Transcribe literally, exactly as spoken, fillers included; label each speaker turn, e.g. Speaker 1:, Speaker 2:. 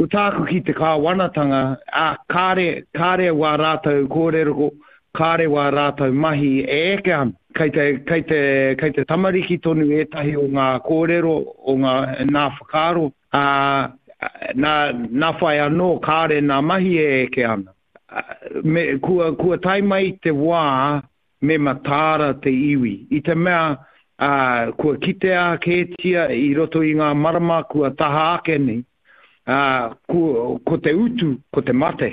Speaker 1: Ko tāku ki te kāwanatanga, ā, kāre, kāre wā rātou kōrero, kāre wā rātou mahi e eke ana. Kei te, kei te, kei te tamariki tonu ētahi o ngā kōrero, o ngā, nā whakaaro, ā, nā, nā whai anō kāre nā mahi e eke ana. Me, kua, kua tae mai te wā me mataara te iwi. I te mea, ā, kua kitea kētia i roto i ngā marama kua taha ake nei, ā, ko, ko te utu, ko te mate.